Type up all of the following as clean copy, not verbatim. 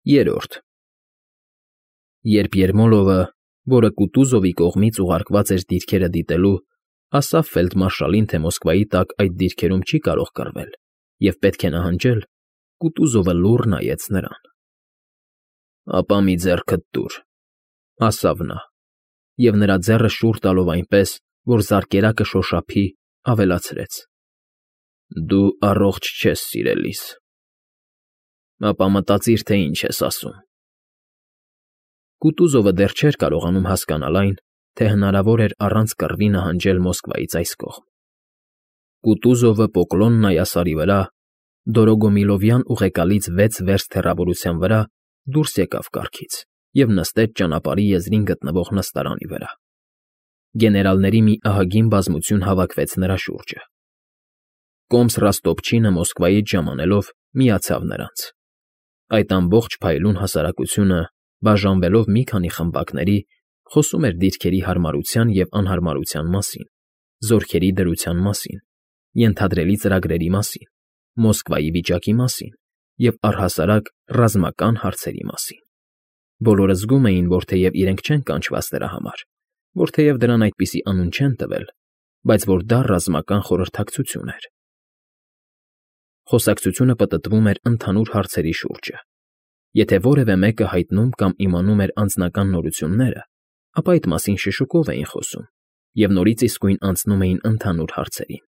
Երրորդ Երբ Երմոլովը, որը Կուտուզովի կողմից ուղարկված էր դիրքերը դիտելու, ասավ ֆելդմարշալին, թե Մոսկվայի տակ այդ դիրքերում չի կարող կռվել և պետք է նահանջել, Կուտուզովը լուռ նայեց նրան։ ֊ Ապա մի ձեռքդ տուր, ֊ ասավ նա, և նրա ձեռքը շուռ տալով այնպես, որ զարկերակը շոշափի, ավելացրեց. ֊ Դու առողջ չես, սիրելիս։ Ապա մտածիր, թե ինչ ես ասում։ Կուտուզովը դեռ չէր կարողանում հասկանալ այն, թե հնարավոր էր առանց կռվի նահանջել Մոսկվայից այս կողմ։ Կուտուզովը Պոկլոն նայասարի վրա, Դորոգոմիլովյան ուղեկալից 6 վերստ հեռավորության վրա դուրս եկավ կառքից և նստեց ճանապարհի եզրին գտնվող նստարանի վրա։ Գեներալների մի ահագին բազմություն հավաքվեց նրա շուրջը։ Կոմս Ռոստոպչինը Մոսկվայից ժամանելով միացավ նրանց։ Այդ ամբողջ փայլուն հասարակությունը, բաժանվելով մի քանի խմբակների, խոսում էր դիրքերի հարմարության և անհարմարության մասին, զորքերի դրության մասին, ենթադրելի ծրագրերի մասին, Մոսկվայի վիճակի մասին և առհասարակ ռազմական հարցերի մասին։ Բոլորը զգում էին, որ թեև իրենք չեն կանչված դրա համար, որ թեև դրան այդպիսի անուն չեն տվել, բայց որ դա ռազմական խորհրդակցություն էր։ Խոսակցությունը պտտվում էր ընդհանուր հարցերի շուրջը։ Եթե որևէ մեկը հայտնում կամ իմանում էր անձնական նորությունները, ապա այդ մասին շշուկով էին խոսում և նորից իսկույն անցնում էին ընդհանուր հարցերին։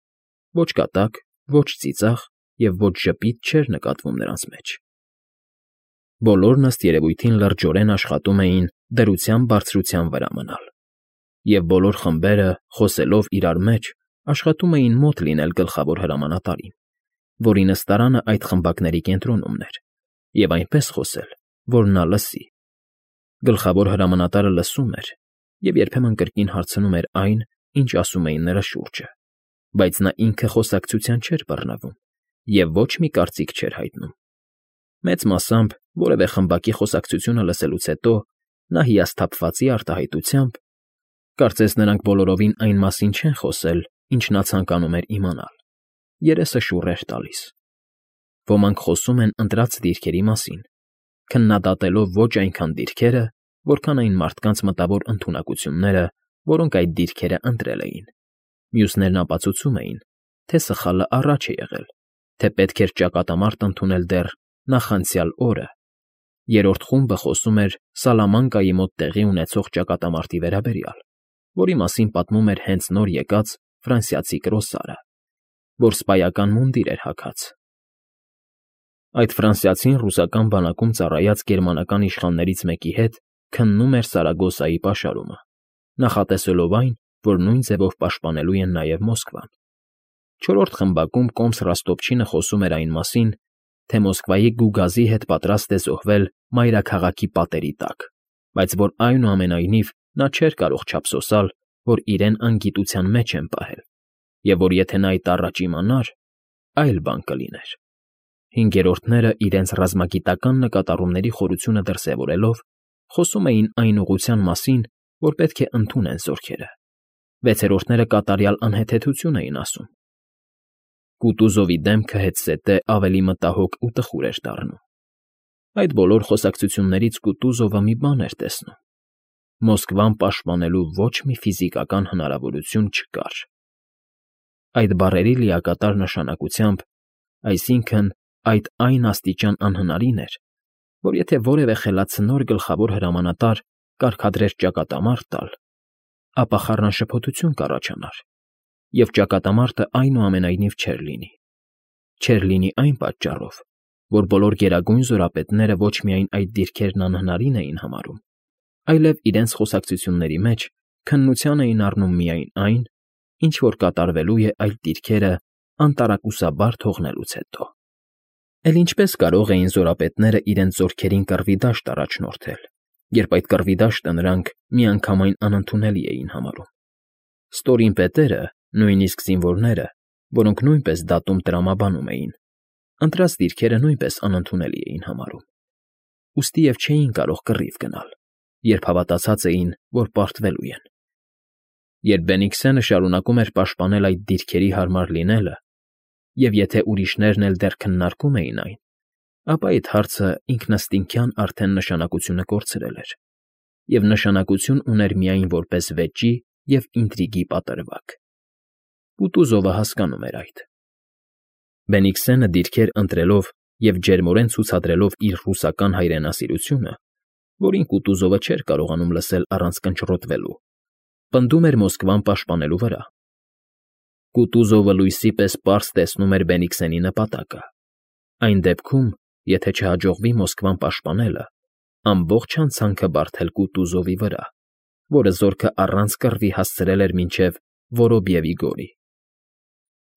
Ոչ կատակ, ոչ ծիծաղ և ոչ ժպիտ չէր նկատվում նրանց մեջ։ Բոլորն ըստ երևույթին լրջորեն աշխատում էին դրության բարձրության վրա մնալ։ Եվ բոլոր խմբերը, խոսելով իրար մեջ, աշխատում էին մոտ լինել գլխավոր հրամանատարին, որի նստարանը այդ խմբակների կենտրոնումն էր, և այնպես խոսել, որ նա լսի։ Գլխավոր հրամանատարը լսում էր և երբեմն կրկին հարցնում էր այն, ինչ ասում էին նրա շուրջը, բայց նա ինքը խոսակցության չէր բռնվում և ոչ մի կարծիք չէր հայտնում։ Մեծ մասամբ, որևէ խմբակի խոսակցությունը լսելուց հետո, նա հիասթափվածի արտահայտությամբ, կարծես նրանք բոլորովին այն մասին չեն խոսել, ինչ նա ցանկանում էր իմանալ, երեսը շուռ էր տալիս։ Ոմանք խոսում են ընտրած դիրքերի մասին, քննադատելով ոչ այնքան դիրքերը, որքան այն մարդկանց մտավոր ընդունակությունները, որոնք այդ դիրքերը ընտրել էին։ Մյուսներն ապացուցում էին, թե սխալը առաջ է եղել, թե պետք էր ճակատամարտ ընդունել դեռ նախանցյալ օրը։ Երրորդ խումբը խոսում էր Սալամանկայի մոտ տեղի ունեցող ճակատամարտի վերաբերյալ, որի մասին պատմում էր հենց նոր եկած ֆրանսիացի կրոսարը, որ սպայական մունդիր էր հագած։ Այդ ֆրանսիացին ռուսական բանակում ծառայած գերմանական իշխաններից մեկի հետ քննում էր Սարագոսայի պաշարումը, նախատեսելով այն, որ նույն ձևով պաշտպանելու են նաև Մոսկվան։ Չորրորդ խմբակում կոմս Ռոստոպչինը խոսում էր այն մասին, թե Մոսկվայի գուգազի հետ պատրաստ է զոհվել մայրաքաղաքի պատերի տակ, բայց որ այնուամենայնիվ նա չէր կարող չափսոսալ, որ իրեն անգիտության մեջ են պահել, և որ եթե նա այդ առաջ իմանար, այլ բան կլիներ։ Հինգերորդները իրենց ռազմագիտական նկատառումների խորությունը դրսևորելով, խոսում էին այն ուղղության մասին, որ պետք է ընդունեն զորքերը։ Վեցերորդները կատարյալ անհեթեթություն էին ասում։ Կուտուզովի դեմքը հետզհետե ավելի մտահոգ ու տխուր էր դառնում։ Այդ բոլոր խոսակցություններից Կուտուզովը մի բան էր տեսնում. Մոսկվան պաշտպանելու ոչ մի ֆիզիկական հնարավորություն չկար։ Այդ բառերի լիակատար նշանակությամբ, այսինքն, այդ այն աստիճան անհնարին էր, որ եթե որևէ խելացնոր գլխավոր հրամանատար կարգադրեր ճակատամարտ տալ, ապա խառնաշփոթություն կառաջանար, և ճակատամարտը այնուամենայնիվ չէր լինի։ Չէր լինի այն պատճառով, որ բոլոր գերագույն զորապետները ոչ միայն այդ դիրքերն անհնարին էին համարում, այլև իրենց խոսակցությունների մեջ քննության էին առնում միայն այն, ինչ որ կատարվելու է այդ դիրքերը անտարակուսաբար թողնելուց հետո։ Էլ ինչպես կարող էին զորապետները իրենց զորքերին կռվի դաշտ առաջնորդել, երբ այդ կռվի դաշտը նրանք միանգամայն անընդունելի էին համարում։ Ստորին պետերը, նույնիսկ զինվորները, որոնք նույնպես դատում տրամաբանում էին, ընտրած դիրքերը նույնպես անընդունելի էին համարում։ Ուստի և չէին կարող կռիվ գնալ, երբ հավատացած էին, որ պարտվելու են։ Երբ Բենիքսենը շարունակում էր պաշտպանել այդ դիրքերի հարմար լինելը, և եթե ուրիշներն էլ դեռ քննարկում էին այն, ապա այդ հարցը ինքնըստինքյան արդեն նշանակությունը կորցրել էր, և նշանակություն ուներ միայն որպես վեճի և ինտրիգի պատրվակ։ Կուտուզովը հասկանում էր այդ։ Բենիքսենը դիրքեր ընտրելով և ջերմորեն ցուցադրելով իր ռուսական հայրենասիրությունը, որին Կուտուզովը չէր կարողանում լսել առանց կնճռոտվելու, պնդում էր Մոսկվան պաշտպանելու վրա։ Կուտուզովը լույսի պես պարզ տեսնում էր Բենիքսենի նպատակը։ Այն դեպքում, եթե չհաջողվի Մոսկվան պաշտպանելը, ամբողջ հանցանքը բարդել Կուտուզովի վրա, որը զորքը առանց կռվի հասցրել էր մինչև Որոբիևի գորի։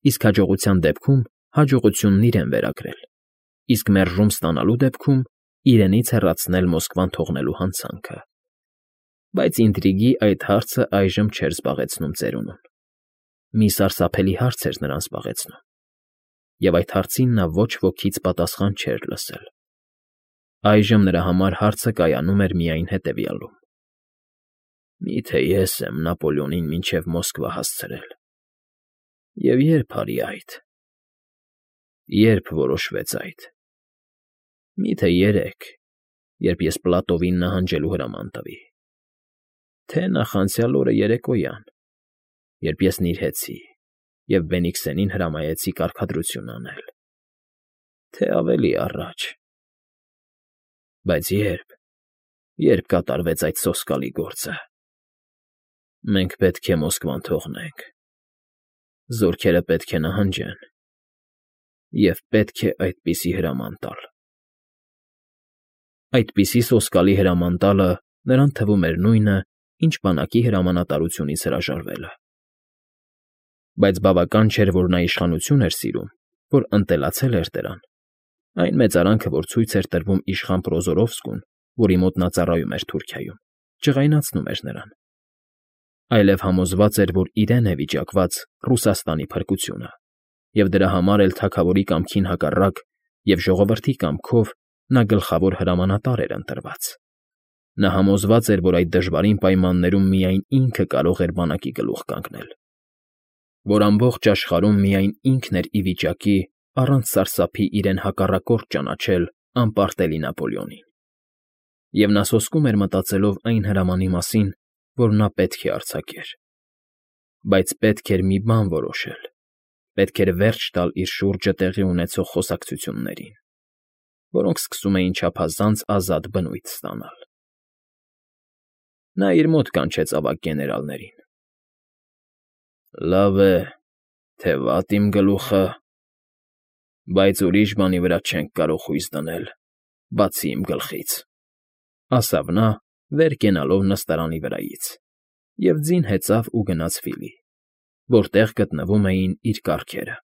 Իսկ հաջողության դեպքում հաջողությունն իրեն վերագրել, իսկ մերժում ստանալու դեպքում իրենից հեռացնել Մոսկվան թողնելու հանցանքը։ Բայց ինտրիգի այդ հարցը այժմ չէր զբաղեցնում ծերունուն։ Մի սարսափելի հարց էր նրան զբաղեցնում, և այդ հարցին նա ոչ ոքից պատասխան չէր լսել։ Այժմ նրա համար հարցը կայանում էր միայն հետևյալում. «Միթե ես եմ Նապոլեոնին մինչև Մոսկվա հասցրել, և ե՞րբ արի այդ, ե՞րբ որոշվեց այդ։ Միթե երեկ, երբ ես Պլատովին նահանջելու հրաման տվի, թե նախանցյալ օրը երեկոյան, երբ ես նիրհեցի և Բենիքսենին հրամայեցի կարգադրություն անել, թե ավելի առաջ։ Բայց ե՞րբ կատարվեց այդ սոսկալի գործը։ Մենք պետք է Մոսկվան թողնենք, զորքերը պետք է նահանջեն, և պետք է այդպիսի հրաման տալ»։ Այդպիսի սոսկալի հրաման տալը նրան թվում էր նույնը, ինչ բանակի հրամանատարությունից հրաժարվելը։ Բայց բավական չէր, որ նա իշխանություն էր սիրում, որ ընտելացել էր դրան։ Այն մեծարանքը, որ ցույց էր տրվում իշխան Պրոզորովսկուն, որի մոտ նա ծառայում էր Թուրքիայում, ջղայնացնում էր նրան։ Այլև համոզված էր, որ իրեն է վիճակված Ռուսաստանի փրկությունը, և դրա համար էլ թագավորի կամքին հակառակ և ժողովրդի կամքով նա գլխավոր հրամանատար էր ընտրված։ Նա համոզված էր, որ այդ դժվարին պայմաններում միայն ինքը կարող էր բանակի գլուխ կանգնել, որ ամբողջ աշխարհում միայն ինքն էր ի վիճակի առանց սարսափի իրեն հակառակորդ ճանաչել անպարտելի Նապոլեոնին։ Եվ նա սոսկում էր մտածելով այն հրամանի մասին, որ նա պետք է արձակեր։ Բայց պետք էր մի բան որոշել, պետք էր վերջ տալ իր շուրջը տեղի ունեցող խոսակցություններին, որոնք սկսում էին չափազանց ազատ բնույթ ստանալ։ Նա իր մոտ կանչեց ավագ գեներալներին։ «Լավ է, թե վատ իմ գլուխը, բայց ուրիշ բանի վրա չենք կարող հույս դնել, բացի իմ գլխից», ասավ նա, վեր կենալով նստարանի վրայից, և ձին հեծավ ու գնաց Ֆիլի, որտեղ գտնվում էին իր կառքերը։